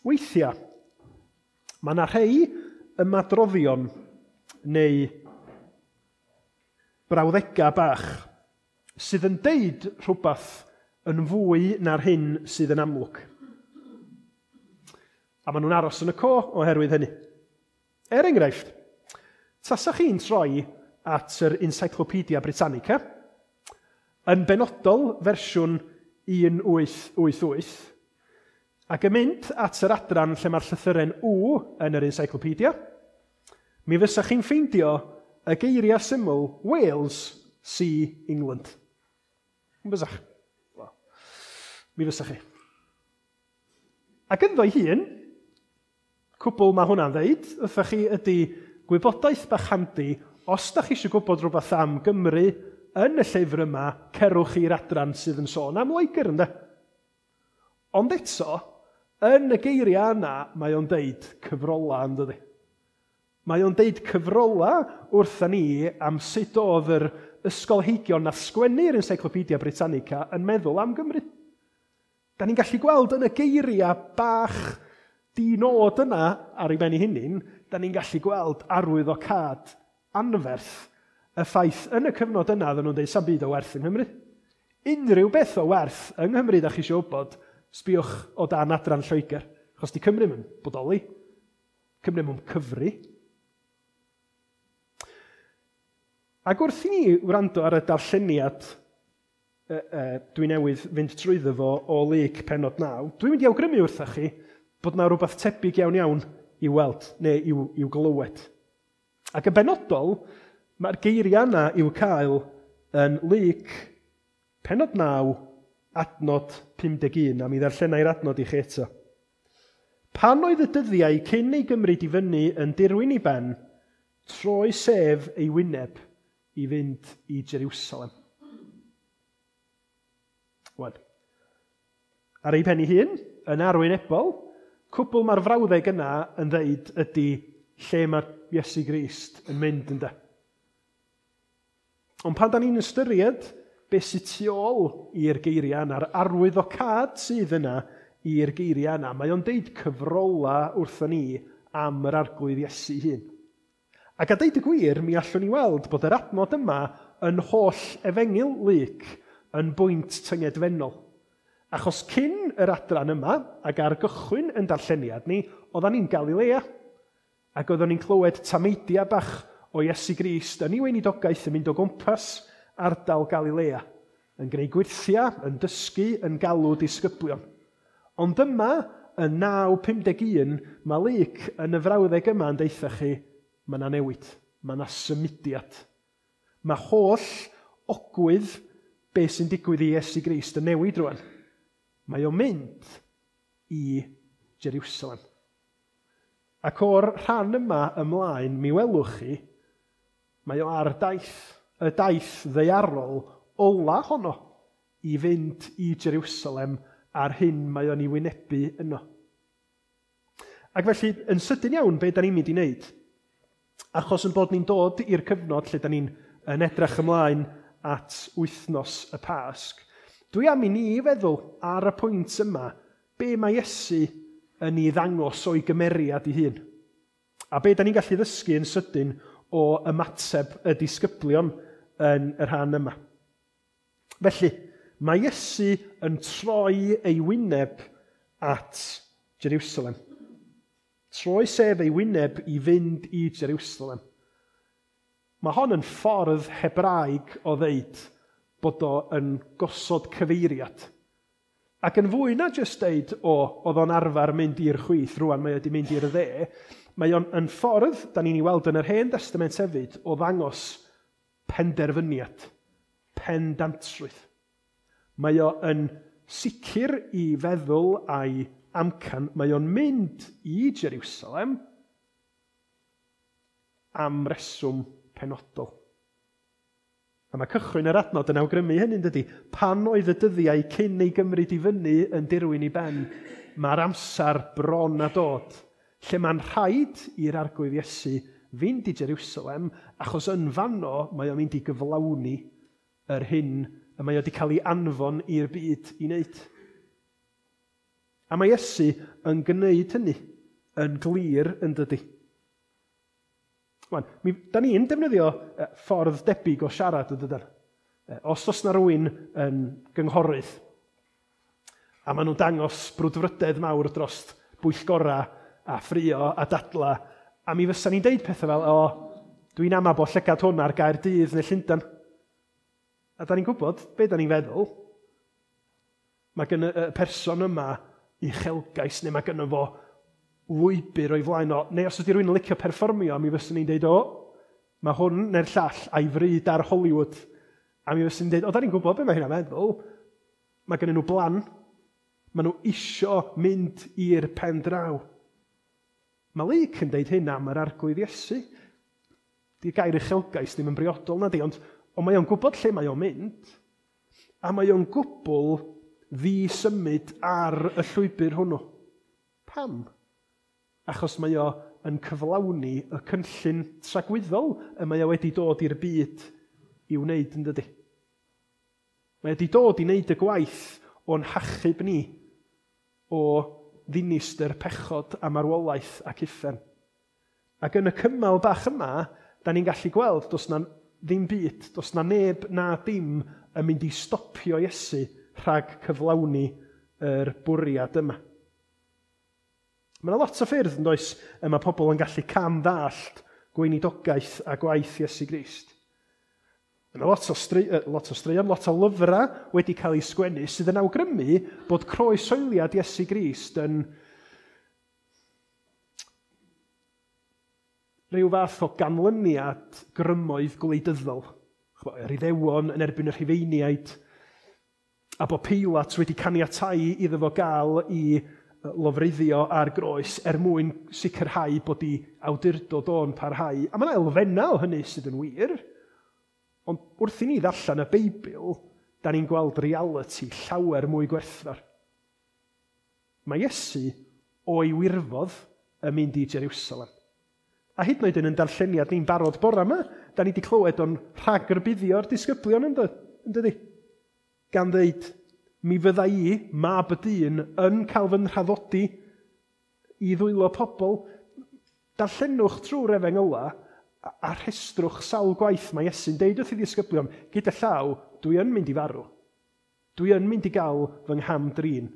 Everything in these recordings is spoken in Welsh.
Weithiau, mae yna rhai ymadroddion neu brawddegau bach sydd yn deud rhywbeth yn fwy na'r hyn sydd yn amlwg. A maen nhw'n aros yn y co oherwydd hynny. Er enghraifft, tasa chi'n troi at yr Encyclopedia Britannica, yn benodol fersiwn 1888, ac yn mynd at yr adran lle mae'r llythyren W yn yr Encyclopedia, mi fysa chi'n ffeindio y geiriau syml Wales, see England. Yn bysach? Wel, mi fysa chi. Ac ynddo'i hun, cwbl mae hwnna'n ddeud, wrthych chi ydy gwybodaeth bach handi, os da chi eisiau gwybod rhywbeth am Gymru yn y llyfr yma, cerwch i'r adran sydd yn sôn am Loegr, ynde? Ond eto, yn y geiriau yna, mae o'n deud cyfrola, yn dydi? Mae o'n deud cyfrola wrtha ni am sut oedd yr ysgolheigion nath sgwennu'r Encyclopedia Britannica yn meddwl am Gymru. Da ni'n gallu gweld yn y geiriau bach di-nod yna ar ei ben ei hunin, da ni'n gallu gweld arwyddocâd anferth y ffaith yn y cyfnod yna oedden nhw'n dweud sa'm byd o werth yng Nghymru. Unrhyw beth o werth yng Nghymru da chi eisiau wybod, sbiwch o dan adran Lloegr. Achos di Cymru yn bodoli. Cymru mewn cyfri. Ac wrth i ni wrando ar y darlleniad dwi newydd fynd trwyddo fo o Luc pennod 9, dwi'n mynd i awgrymu wrthych chi bod na rhywbeth tebyg iawn iawn i'w weld neu i'w glywed. Ac yn benodol, mae'r geiriau yna i'w cael yn Luc pennod 9, adnod 51, a mi ddarllenai'r adnod i chi eto. Pan oedd y dyddiau cyn ei gymryd i fyny yn dirwyn i ben, troi sef ei wyneb i fynd i Jerusalem. Wan. Ar ei pen ei hun, yn arwynebol, cwbl mae'r frawddeg yna yn ddeud ydy lle mae Iesu Grist yn mynd ynde. Ond pan da ni'n ystyried beth sydd tu ôl i'r geiriau yna, a'r arwyddocâd sydd yna i'r geiriau yna, mae o'n deud cyfrola wrthon ni am yr arglwydd Iesu hun. Ac a deud y gwir, mi allwn ni weld bod yr adnod yma yn holl efengyl Luc yn bwynt tyngedfennol. Achos cyn yr adran yma, ac ar gychwyn yn darlleniad ni, oeddan ni'n Galilea. Ac oedden ni'n clywed tameidiau bach o Iesu Grist yn ei weinidogaeth yn mynd o gwmpas ardal Galilea, yn gwneud gwyrthiau, yn dysgu, yn galw disgyblion. Ond yma, yn 9.51, mae Luc yn y frawddeg yma yn deutha chi, mae yna newid, mae yna symudiad. Mae holl ogwydd beth sy'n digwydd i Iesu Grist yn newid rwan. Mae o'n mynd i Jerusalem. Ac o'r rhan yma ymlaen, mi welwch chi, mae o ar daith, y daith ddaearol ola honno i fynd i Jerusalem a'r hyn mae o'n ei wynebu yno. Ac felly, yn sydyn iawn, be da ni'n mynd i wneud? Achos yn bod ni'n dod i'r cyfnod lle da ni'n yn edrych ymlaen at wythnos y Pasg, dwi am i ni feddwl ar y pwynt yma, be mae Iesu yn ei ddangos o'i gymeriad ei hun. A be da ni'n gallu ddysgu yn sydyn o ymateb y disgyblion yn y rhan yma. Felly, mae Iesu yn troi ei wyneb at Jerusalem. Troi sef ei wyneb i fynd i Jerusalem. Mae hon yn ffordd Hebraeg o ddeud bod o yn gosod cyfeiriad. Ac yn fwy na jyst deud, o, oedd o'n arfer mynd i'r chwith, rwan mae wedi mynd i'r dde, mae o'n yn ffordd, da ni'n ei weld yn yr Hen Testament hefyd, o ddangos penderfyniad, pendantrwydd. Mae o yn sicr i feddwl a'i amcan, mae o'n mynd i Jerusalem am reswm penodol. A mae cychwyn yr adnod yn awgrymu hynny, dydy. Pan oedd y dyddiau cyn ei gymryd i fyny yn dirwyn i ben, mae'r amser bron a dod, lle mae'n rhaid i'r arglwydd Iesu fynd i Jerusalem, achos yn fanno mae o'n mynd i gyflawni yr hyn y mae o wedi cael ei anfon i'r byd i wneud. A mae Iesu yn gwneud hynny yn glir yn dydy. Wan, da ni'n defnyddio ffordd debyg o siarad yn dydan. Os oes na rywun yn gynghorydd, a maen nhw'n dangos brwdfrydedd mawr dros bwyllgora a ffrio a dadla, a mi fysa ni'n deud pethau fel, o, dwi'n ama bod llygad hwn ar Gaerdydd neu Llundain. A da ni'n gwybod be da ni'n feddwl. Mae gen y person yma uchelgais, neu mae gynno fo lwybr o'i flaen o. Neu os ydy rhywun yn licio perfformio, mi fyswn ni'n deud, o, mae hwn neu'r llall a'i fryd ar Hollywood. A mi fyswn ni'n deud, o, da ni'n gwybod be mae hynna'n meddwl. Mae gennyn nhw blan. Maen nhw isio mynd i'r pen draw. Mae Luc yn deud hyn am yr Arglwydd Iesu. Di'r gair uchelgais ddim yn briodol na di, ond mae o'n gwybod lle mae o'n mynd, a mae o'n gwbl ddisymud ar y llwybr hwnnw. Pam? Achos mae o yn cyflawni y cynllun tragwyddol y mae o wedi dod i'r byd i wneud, yn dydy. Mae wedi dod i wneud y gwaith o'n hachub ni o ddinistr pechod a marwolaeth ac uffern. Ac yn y cymal bach yma, da ni'n gallu gweld does na ddim byd, does na neb na dim yn mynd i stopio Iesu rhag cyflawni yr bwriad yma. Mae yna lot o ffyrdd, yn does, y mae pobl yn gallu cam-ddallt gweinidogaeth a gwaith Iesu Grist. Mae yna lot o straeon, lot o lyfrau wedi cael eu sgwennu sydd yn awgrymu bod croeshoeliad Iesu Grist yn rhyw fath o ganlyniad grymoedd gwleidyddol. Yr Iddewon yn erbyn y Rhufeiniaid, a bod Peilat wedi caniatáu iddo fo gael i lofruddio ar groes er mwyn sicrhau bod ei awdurdod o'n parhau. A mae yna elfennau o hynny sydd yn wir, ond wrth i ni ddarllen y Beibl, da ni'n gweld realiti llawer mwy gwerthfawr. Mae Iesu o'i wirfodd yn mynd i Jerusalem. A hyd yn oed yn ein darlleniad ni'n barod bore yma, da ni wedi clywed o'n rhagrybuddio'r disgyblion yn dydy. Gan ddeud, mi fydda i, mab y dyn, yn cael fy nhraddodi i ddwylo pobl. Darllenwch trwy'r efengyla a rhestrwch sawl gwaith mae Iesu'n deud wrth i ddisgyblion, gyda llaw, dwi yn mynd i farw. Dwi yn mynd i gael fy ngham-drin.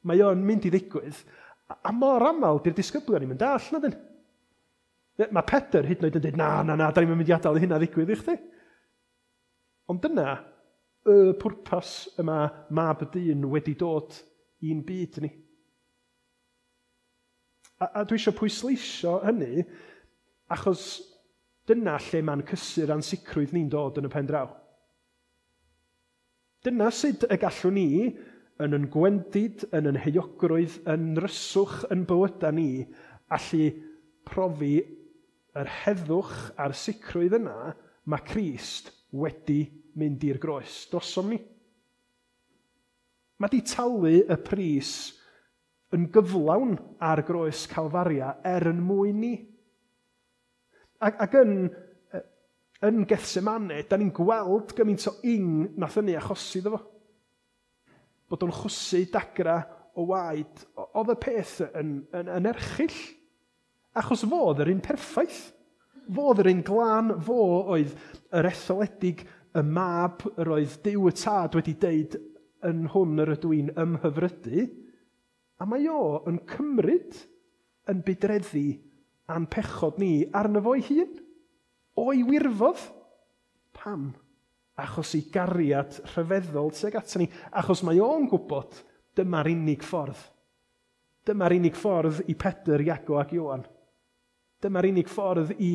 Mae o'n mynd i ddigwydd. A mor aml, di'r disgyblion ddim yn dall, na dyn. Mae Pedr hyd yn oed yn dweud, na, na, na, da ni'n mynd i adael i hynna ddigwydd i chdi. Ond dyna y pwrpas y mae mab y dyn wedi dod i'n byd ni. A dwi eisiau pwysleisio hynny, achos dyna lle mae'n cysur ansicrwydd ni'n dod yn y pen draw. Dyna sut y gallwn ni, yn yn gwendid, yn yn heuogrwydd, yn nryswch, yn bywydau ni, allu profi yr heddwch a'r sicrwydd yna mae Crist wedi mynd i'r groes drosom ni. Mae di talu y pris yn gyflawn ar groes Calfaria er yn mwyn ni. Ac yn Gethsemane, da ni'n gweld gymaint o ing nath hynny achosi iddo fo. Bod o'n chwysu dagra o waed, oedd y peth yn erchyll. Achos fo oedd yr un perffaith. Fo oedd yr un glân, fo oedd yr etholedig, y mab yr oedd Duw y Tad wedi deud yn hwn yr ydw i'n ymhyfrydu. A mae o yn cymryd yn budreddi a'n pechod ni arno fo'i hun. O'i wirfodd. Pam? Achos ei gariad rhyfeddol tuag ato ni. Achos mae o'n gwybod dyma'r unig ffordd. Dyma'r unig ffordd i Pedr, Iago ac Ioan. Dyma'r unig ffordd i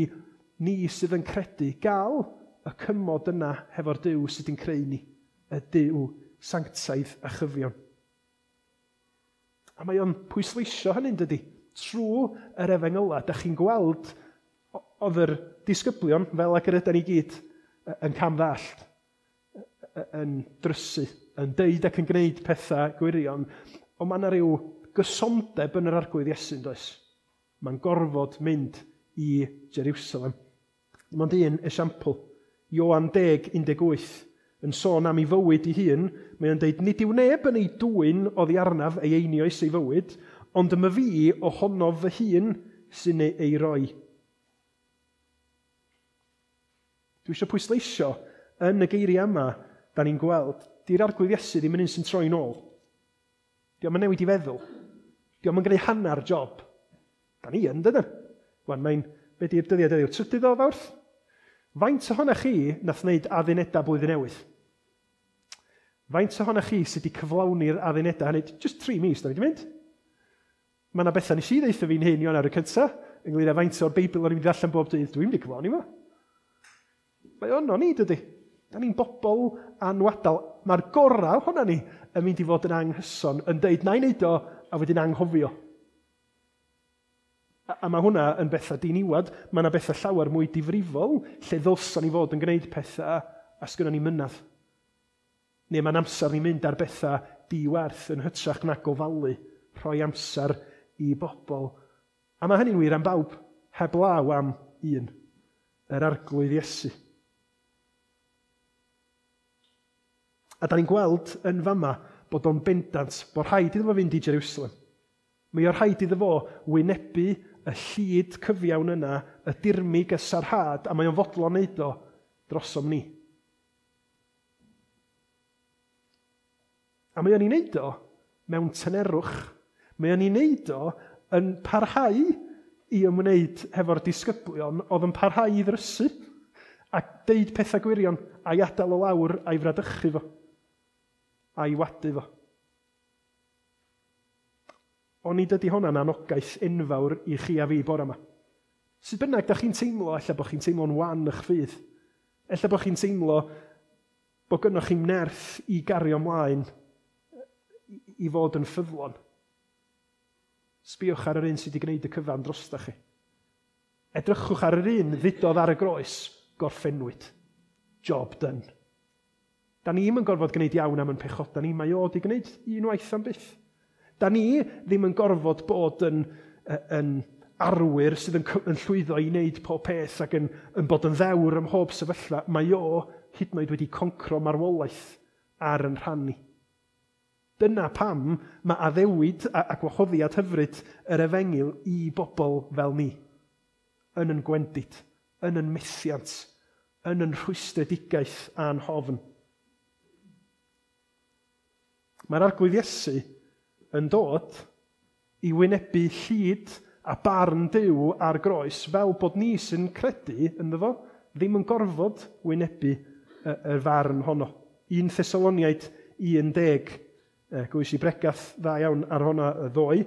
ni sydd yn credu gael y cymod yna hefo'r Duw sydd yn creu ni, y Duw sanctaidd a chyfion. A mae o'n pwysleisio hynny'n dydy. Trwy yr efengyla, da chi'n gweld oedd yr disgyblion, fel ag yr ydan ni gyd, yn cam-ddallt, yn drysu, yn deud ac yn gwneud pethau gwirion, ond mae yna rhyw gysondeb yn yr Arglwydd Iesu, does? Mae'n gorfod mynd i Jerusalem. Dim ond un esiampl. Ioan 10:18. yn sôn am ei fywyd ei hun, mae o'n deud, nid yw neb yn ei dwyn oddi arnaf ei einioes ei fywyd, ond yma fi ohonof fy hun sy'n ei roi. Dwi eisiau pwysleisio yn y geiriau yma, da ni'n gweld, di'r Arglwydd Iesu ddim yn un sy'n troi'n ôl. Dio'm yn newid i feddwl. Dio'm yn gwneud hanner job. Da ni yn, dydyn? Wan, mae'n, be di'r dyddiad heddiw? 3 o Fawrth? Faint ohonoch chi nath wneud addunedau blwyddyn newydd? Faint ohonoch chi sydd wedi cyflawni'r addunedau hynny? Just 3 mis, da ni wedi mynd. Mae yna bethau nes i ddeutha fi'n hyn Ionawr y cyntaf, ynglyn â faint o'r Beibl o'n i'n mynd i ddarllen bob dydd, dwi'n mynd i cyflawni fo. Mae ono ni, dydy. Da ni'n bobl anwadal. Mae'r gorau ohono ni yn mynd i fod yn anghyson, yn deud na i wneud o, a wedyn anghofio. A mae hwnna yn bethau diniwad. Mae yna bethau llawer mwy difrifol lle ddylsan ni fod yn gwneud pethau a sgynnon ni mynadd. Neu mae'n amser ni'n mynd ar bethau diwerth yn hytrach na gofalu, rhoi amser i bobl. A mae hynny'n wir am bawb, heblaw am un, yr Arglwydd Iesu. A da ni'n gweld yn fama bod o'n bendant bod rhaid iddo fo fynd i Jerusalem. Mae o rhaid iddo fo wynebu y llid cyfiawn yna, y dirmyg, y sarhad, a mae o'n fodlon wneud o drosom ni. A mae o'n ei wneud o mewn tynerwch. Mae o'n ei wneud o yn parhau i ymwneud hefo'r disgyblion oedd yn parhau i ddrysu a deud pethau gwirion a'i adael o lawr a'i fradychu fo a'i wadu fo. Onid ydy hwnna'n anogaeth enfawr i chi a fi bore yma? Sut bynnag da chi'n teimlo, ella bod chi'n teimlo'n wan eich ffydd. Ella bod chi'n teimlo bod gynnoch chi'n nerth i gario ymlaen i fod yn ffyddlon. Sbïwch ar yr un sydd wedi gwneud y cyfan drostach chi. Edrychwch ar yr un ddudodd ar y groes, gorffennwyd. Job done. Da ni ddim yn gorfod gwneud iawn am yn pechod, da ni mae o wedi gwneud unwaith am byth. Da ni ddim yn gorfod bod yn arwyr sydd yn llwyddo i wneud pob peth ac yn bod yn ddewr ym mhob sefyllfa. Mae o hyd yn oed wedi concro marwolaeth ar yn rhan ni. Dyna pam mae addewid a gwahoddiad hyfryd yr efengyl i bobl fel ni. Yn yn gwendid, yn yn methiant, yn yn rhwystredigaeth a'n hofn. Mae'r Arglwydd Iesu yn dod i wynebu llid a barn Duw ar groes fel bod ni sy'n credu ynddo fo ddim yn gorfod wynebu y farn honno. 1 Thessaloniaid 11, gwys i bregath dda iawn ar honna ddoe,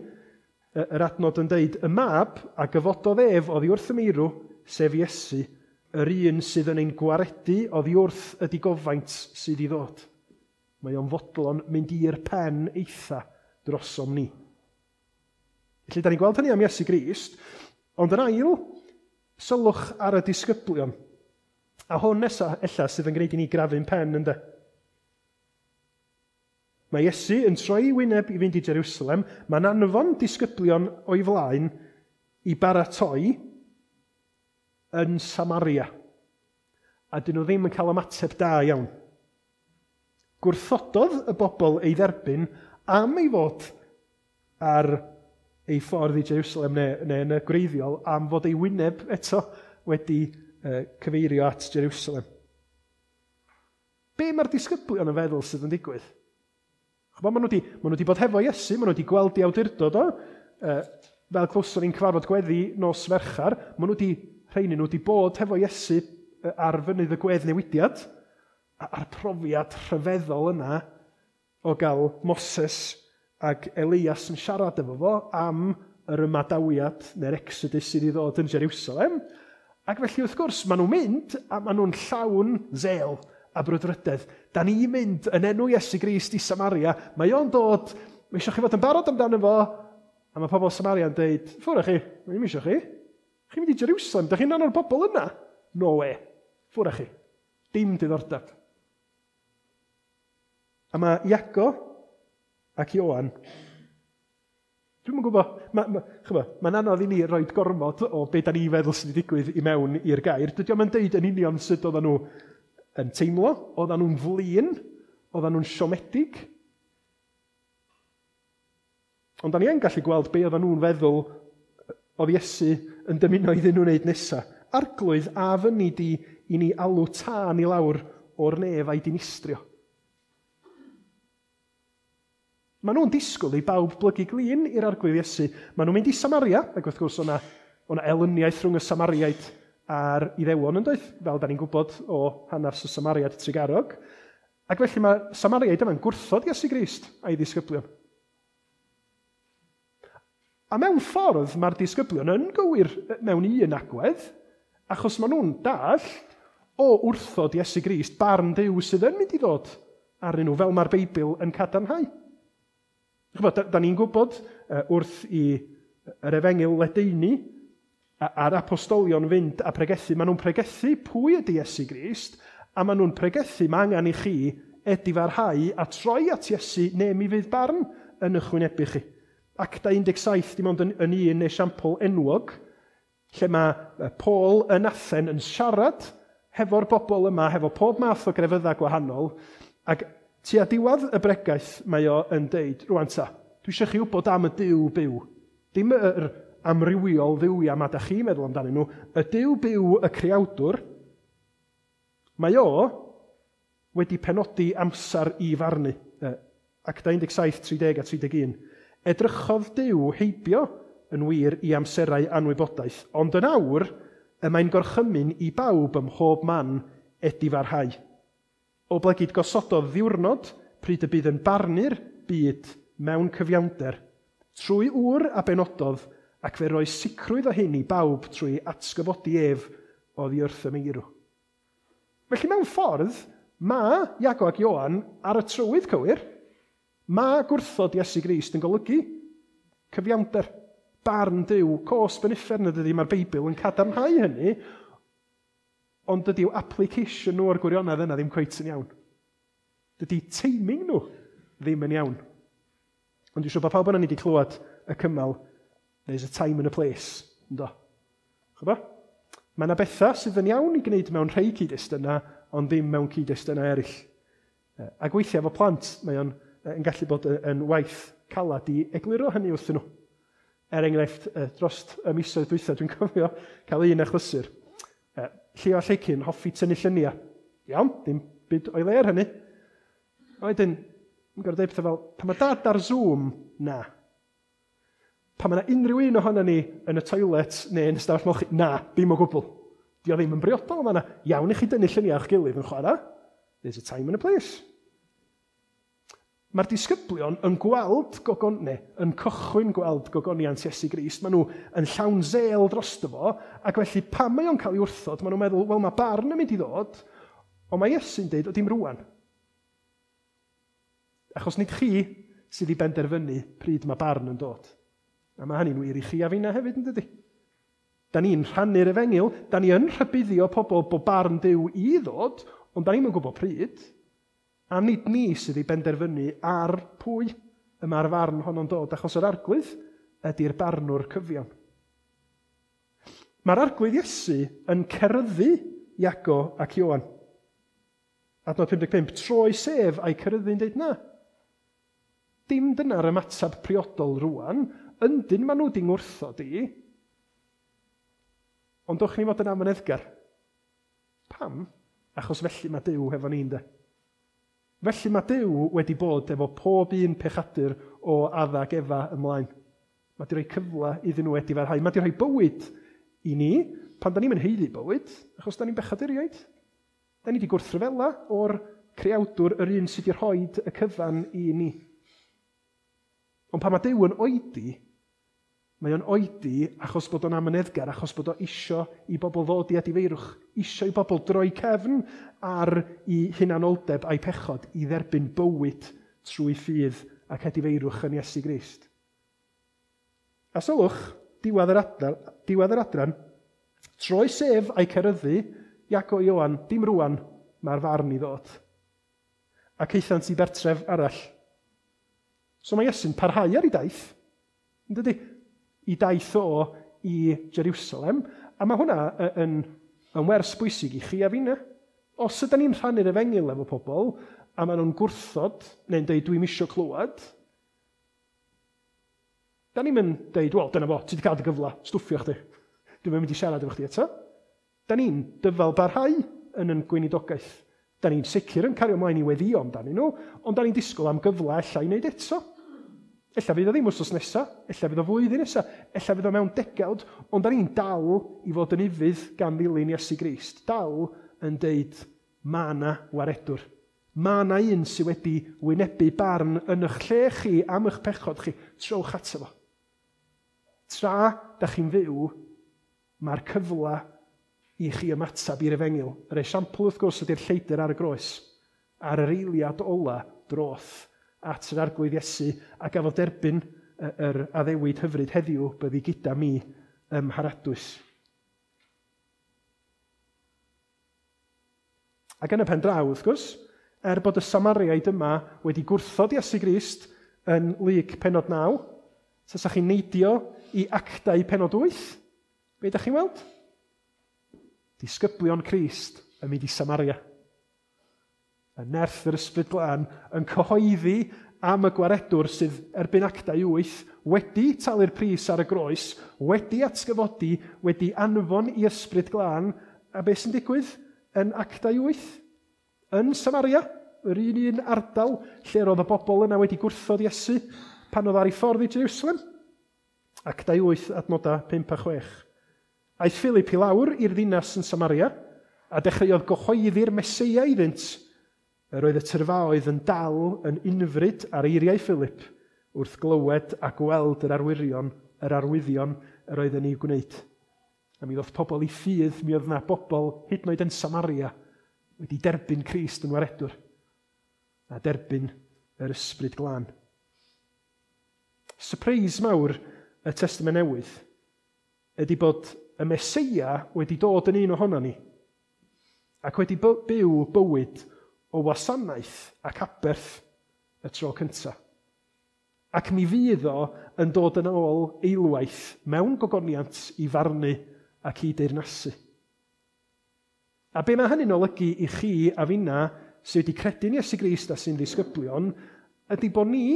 yr adnod yn deud, y mab a gyfododd ef oddi wrth y meirw, sef Iesu, yr un sydd yn ein gwaredu oddi wrth y digofaint sydd i ddod. Mae o'n fodlon mynd i'r pen eitha drosom ni. Felly, da ni'n gweld hynny am Iesu Grist, ond yn ail, sylwch ar y disgyblion. A hwn nesa, ella, sydd yn gwneud i ni grafu'n pen, ynde? Mae Iesu yn troi wyneb i fynd i Jerusalem, mae'n anfon disgyblion o'i flaen i baratoi yn Samaria. A dyn nhw ddim yn cael ymateb da iawn. Gwrthododd y bobl ei dderbyn am ei fod ar ei ffordd i Jerusalem neu yn y gwreiddiol am fod ei wyneb eto wedi cyfeirio at Jerusalem. Be mae'r disgyblion yn feddwl sydd yn digwydd? Ch'bo, maen nhw wedi bod hefo Iesu, maen nhw wedi gweld ei awdurdod o, fel clywson ni'n cyfarfod gweddi nos Fercher, maen nhw wedi, rheini nhw wedi bod hefo Iesu ar fynydd y gweddnewidiad, a'r profiad rhyfeddol yna o gael Moses ac Elias yn siarad efo fo am yr ymadawiad neu'r Exodus sydd i ddod yn Jerusalem. Ac felly wrth gwrs, maen nhw'n mynd a maen nhw'n llawn zel a brwdfrydedd. Da ni'n mynd yn enw Iesu Grist i Samaria. Mae o'n dod, mae eisiau chi fod yn barod amdano fo. A mae pobl Samaria yn deud, ffwrdd chi, mae ddim eisiau chi. Chi'n mynd i Jerusalem, da chi'n rhan o'r bobl yna? No way, ffwrdd chi. Dim diddordeb. A mae Iago ac Ioan, dwi'm yn gwybod, mae'n anodd i ni roi gormod o be da ni feddwl sydd wedi digwydd i mewn i'r gair. Dydy o'm yn deud yn union sut oedden nhw yn teimlo. Oedden nhw'n flin, oedden nhw'n siomedig. Ond da ni yn gallu gweld be oedden nhw'n feddwl oedd Iesu yn dymuno iddyn nhw wneud nesaf. Arglwydd, a fyny di i ni alw tân i lawr o'r nef a'i dinistrio. Maen nhw'n disgwyl i bawb blygu glin i'r arglwydd Iesu. Maen nhw'n mynd i Samaria, ac wrth gwrs o'na elyniaeth rhwng y Samariaid a'r Iddewon yn doedd, fel da ni'n gwybod o hanes y Samariad trugarog. Ac felly mae Samariaid yma'n gwrthod Iesu Grist a'i ddisgyblion. A mewn ffordd mae'r disgyblion yn gywir mewn un agwedd, achos maen nhw'n dallt o wrthod Iesu Grist barn Duw sydd yn mynd i ddod arnyn nhw, fel mae'r Beibl yn cadarnhau. Chybod, da ni'n gwybod wrth i yr efengyl ledaenu a'r apostolion fynd a pregethu, maen nhw'n pregethu pwy ydy Iesu Grist, a maen nhw'n pregethu mae angen i chi edifarhau a troi at Iesu neu mi fydd barn yn eich wynebu chi. Acta 17, dim ond yn un esiampl enwog, lle mae Paul yn Athen yn siarad hefo'r bobl yma, hefo pob math o grefyddau gwahanol, ac tua diwedd y bregaeth mae o yn deud, rwan ta, dwi eisiau chi wybod am y Duw byw. Dim yr amrywiol dduwiau ma da chi'n meddwl amdanyn nhw, y Duw byw y creawdwr, mae o wedi penodi amser i farnu. Acta 17, 30 a 31. Edrychodd Duw heibio yn wir i amserau anwybodaeth, ond yn awr y mae'n gorchymyn i bawb ym mhob man edifarhau. Oblegid gosododd ddiwrnod pryd y bydd yn barnu'r byd mewn cyfiawnder, trwy ŵr a benododd, ac fe roi sicrwydd o hyn i bawb trwy atgyfodi ef oddi wrth y meirw. Felly mewn ffordd, mae Iago ac Ioan ar y trywydd cywir. Mae gwrthod Iesu Grist yn golygu cyfiawnder, barn Duw, cosb yn uffern ydy, mae'r Beibl yn cadarnhau hynny, ond dydy'w application nhw o'r gwirionedd yna ddim cweit yn iawn. Dydy teiming nhw ddim yn iawn. Ond dwi'n siŵr bod pawb yna ni wedi clywed y cymal, there's a time and a place, ynddo. Chybod? Mae yna bethau sydd yn iawn i gwneud mewn rhai cyd-destunau, ond ddim mewn cyd-destunau eraill. Ac weithiau efo plant, mae o'n yn gallu bod yn waith calad i egluro hynny wrthyn nhw. Er enghraifft, dros y misoedd dwytha, dwi'n cofio cael un achlysur. Llio a Lleicyn hoffi tynnu lluniau. Iawn, dim byd o'i le ar hynny. A wedyn, yn gorfod dweud pethau fel, pan mae dad ar Zoom, na. Pan mae yna unrhyw un ohono ni yn y toilet neu yn y stafell molchi, na, ddim o gwbl. Di o ddim yn briodol, mae yna iawn i chi dynnu lluniau o'ch gilydd yn chwarae. There's a time and a place. Mae'r disgyblion yn gweld yn cychwyn gweld gogoniant Iesu Grist. Maen nhw yn llawn zel drosto fo, ac felly pan mae o'n cael ei wrthod, maen nhw'n meddwl, wel mae barn yn mynd i ddod, ond mae Iesu'n deud, o dim rwan. Achos nid chi sydd i benderfynu pryd mae barn yn dod. A mae hynny'n wir i chi a finna hefyd, yn dydy? Da ni'n rhannu'r efengyl, da ni yn rhybuddio pobl bod barn Duw i ddod, ond da ni'm yn gwybod pryd. A nid ni sydd i benderfynu ar pwy y mae'r farn honno'n dod, achos yr arglwydd ydy'r barnwr cyfiawn. Mae'r arglwydd Iesu yn ceryddu Iago ac Ioan. Adnod 55, troi sef a'i ceryddu'n deud na. Dim dyna'r ymateb priodol rwan, yndyn maen nhw di ngwrthod i, ond dowch ni fod yn amyneddgar. Pam? Achos felly mae Duw hefo ni, ynde. Felly mae Duw wedi bod efo pob un pechadur o Adda ac Efa ymlaen. Mae di rhoi cyfle iddyn nhw edifarhau. Mae di rhoi bywyd i ni pan da ni'n mynd haeddu bywyd, achos da ni'n bechaduriaid. Da ni wedi gwrthryfela o'r creawdwr yr un sydd wedi rhoi y cyfan i ni. Ond pan mae Duw yn oedi, mae o'n oedi achos bod o'n amyneddgar, achos bod o isio i bobl ddod i edifeirwch, isio i bobl droi cefn ar i hunanoldeb a'i pechod i dderbyn bywyd trwy ffydd ac edifeirwch yn Iesu Grist. A sylwch, diwedd yr adran, troi sef a'i ceryddu, Iago Ioan, dim rwan, mae'r farn i ddod. Ac aethant i bertref arall. So mae Iesu'n parhau ar ei daith, yn dydy? I daith o i Jerusalem, a mae hwnna yn wers bwysig i chi a finna. Os ydyn ni'n rhannu'r efengyl efo pobl, a maen nhw'n gwrthod, neu'n deud dwi'm isio clywed, da ni'n mynd deud, wel, dyna fo, ti wedi cael dy gyfle, stwffio chdi. Dwi'm yn mynd i siarad efo chdi eto. Da ni'n dyfal barhau yn yn gweinidogaeth. Da ni'n sicr yn cario ymlaen i weddio amdanyn nhw, ond da ni'n disgwyl am gyfle ella i wneud eto. Ella fydd o ddim wythnos nesa, ella fydd o flwyddyn nesa, ella fydd o mewn degawd, ond da ni'n dal i fod yn ufudd gan ddilyn Iesu Grist. Dal yn deud, mae yna waredwr. Mae yna un sydd wedi wynebu barn yn eich lle chi am eich pechod chi. Trowch ato fo. Tra da chi'n fyw, mae'r cyfle i chi ymateb i'r efengyl. Yr esiampl wrth gwrs ydy'r lleidr ar y groes. Ar yr eiliad ola droth at yr Arglwydd Iesu a gafodd derbyn yr addewid hyfryd heddiw byddi gyda mi ym Mharadwys. Ac yn y pen draw, wrth gwrs, er bod y Samariaid yma wedi gwrthod Iesu Grist yn Luc pennod 9, tasa chi'n neidio i Actau pennod 8, be ydych chi'n weld? Disgyblion Crist yn mynd i Samaria. Y nerth yr Ysbryd Glân yn cyhoeddi am y gwaredwr sydd erbyn Actau 8 wedi talu'r pris ar y groes, wedi atgyfodi, wedi anfon i Ysbryd Glân, a beth sy'n digwydd yn Actau 8? Yn Samaria, yr un ardal lle roedd y bobl yna wedi gwrthod Iesu pan oedd ar ei ffordd i Jerusalem. Actau 8, adnodau 5 a 6. Aeth Philip i lawr i'r ddinas yn Samaria a dechreuodd gyhoeddi'r Meseia iddynt. Yr oedd y tyrfaoedd yn dal yn unfryd ar eiriau Philip wrth glywed a gweld yr arwyddion yr oedd yn ei gwneud. A mi ddoth pobl i ffydd, mi oedd yna bobl hyd yn oed yn Samaria wedi derbyn Crist yn waredwr a derbyn yr Ysbryd Glân. Surprise mawr y Testament Newydd ydy bod y Meseia wedi dod yn un ohono ni ac wedi byw bywyd o wasanaeth ac aberth y tro cyntaf. Ac mi fydd o yn dod yn ôl eilwaith mewn gogoniant i farnu ac i deyrnasu. A be mae hynny'n olygu i chi a finna sydd wedi credu'n Iesu Grist a sy'n ddisgyblion ydy bod ni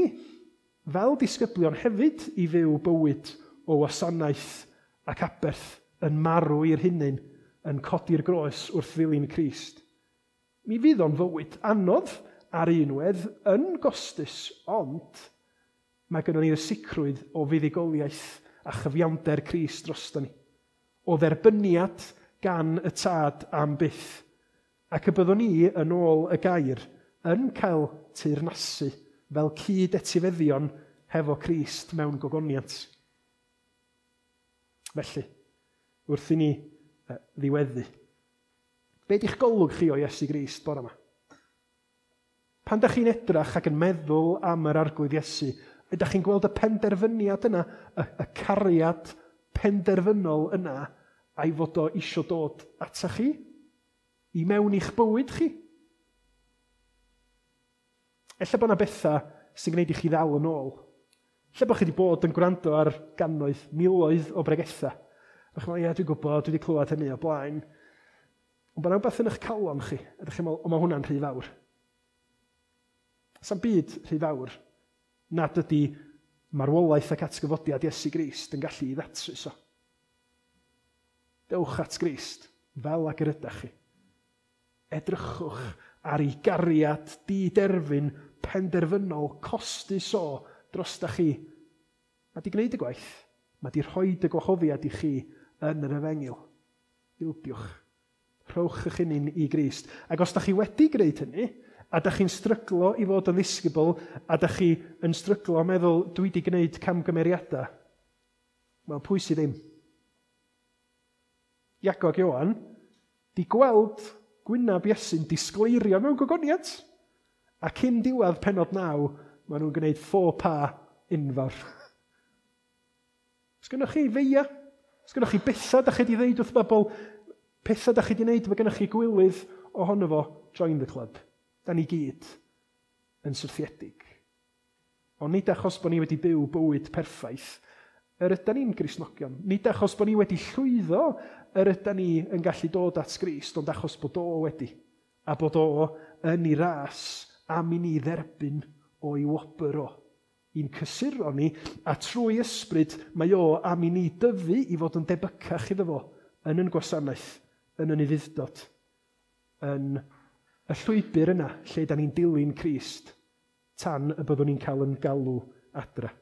fel disgyblion hefyd i fyw bywyd o wasanaeth ac aberth yn marw i'r hunain, yn codi'r groes wrth ddilyn Crist. Mi fydd o'n fywyd anodd ar unwedd yn gostus, ond mae gynnon ni'r sicrwydd o fuddugoliaeth a chyfiawnder Crist drosto ni, o dderbyniad gan y Tad am byth, ac y byddwn ni yn ôl y gair yn cael teyrnasu fel cyd-etifeddion hefo Crist mewn gogoniant. Felly, wrth i ni ddiweddu, be di'ch golwg chi o Iesu Grist bore yma? Pan da chi'n edrach ac yn meddwl am yr Arglwydd Iesu, ydych chi'n gweld y penderfyniad yna, y cariad penderfynol yna, a'i fod o isio dod ata chi, i mewn i'ch bywyd chi? Ella bod yna bethau sy'n gwneud i chi ddal yn ôl. Ella bod chi wedi bod yn gwrando ar gannoedd, miloedd o bregethau. A chi'n meddwl, ie, dwi'n gwybod, dwi wedi clywed hynny o blaen. Ond bod yna rhywbeth yn eich calon chi, a ydych chi'n meddwl, o, mae hwnna'n rhy fawr. Sa'm byd rhy fawr nad ydy marwolaeth ac atgyfodiad Iesu Grist yn gallu i ddatrys o. Dewch at Grist fel ag yr ydych chi. Edrychwch ar ei gariad diderfyn penderfynol costus o drosta chi. Mae di gwneud y gwaith. Mae di rhoi y gwahoddiad i chi yn yr efengyl. Ildiwch. Rhowch eich hunain i Grist. Ac os da chi wedi gwneud hynny, a da chi'n stryglo i fod yn ddisgybl, a da chi yn stryglo a meddwl, dwi wedi gwneud camgymeriadau, wel, pwy sydd ddim? Iago ac Ioan di gweld gwynab Iesu'n disgleirio mewn gogoniant. A cyn diwedd pennod 9, maen nhw'n gwneud faux pas enfawr. Os gynnoch chi feia, os gynnoch chi bethau da chi wedi ddeud wrth bobl, pethau da chi wedi wneud, mae gynnoch chi gwilydd ohono fo, join the club. Da ni gyd yn syrthiedig. Ond nid achos bod ni wedi byw bywyd perffaith, yr ydan ni'n Gristnogion. Nid achos bod ni wedi llwyddo, yr ydan ni yn gallu dod at Grist, ond achos bod o wedi. A bod o yn ei ras am i ni dderbyn o'i wobr o. I'n cysuro ni, a trwy ysbryd mae o am i ni dyfu i fod yn debycach iddo fo yn yn gwasanaeth, yn yn ufudd-dod, yn y llwybr yna lle da ni'n dilyn Crist tan y byddwn ni'n cael yn galw adra.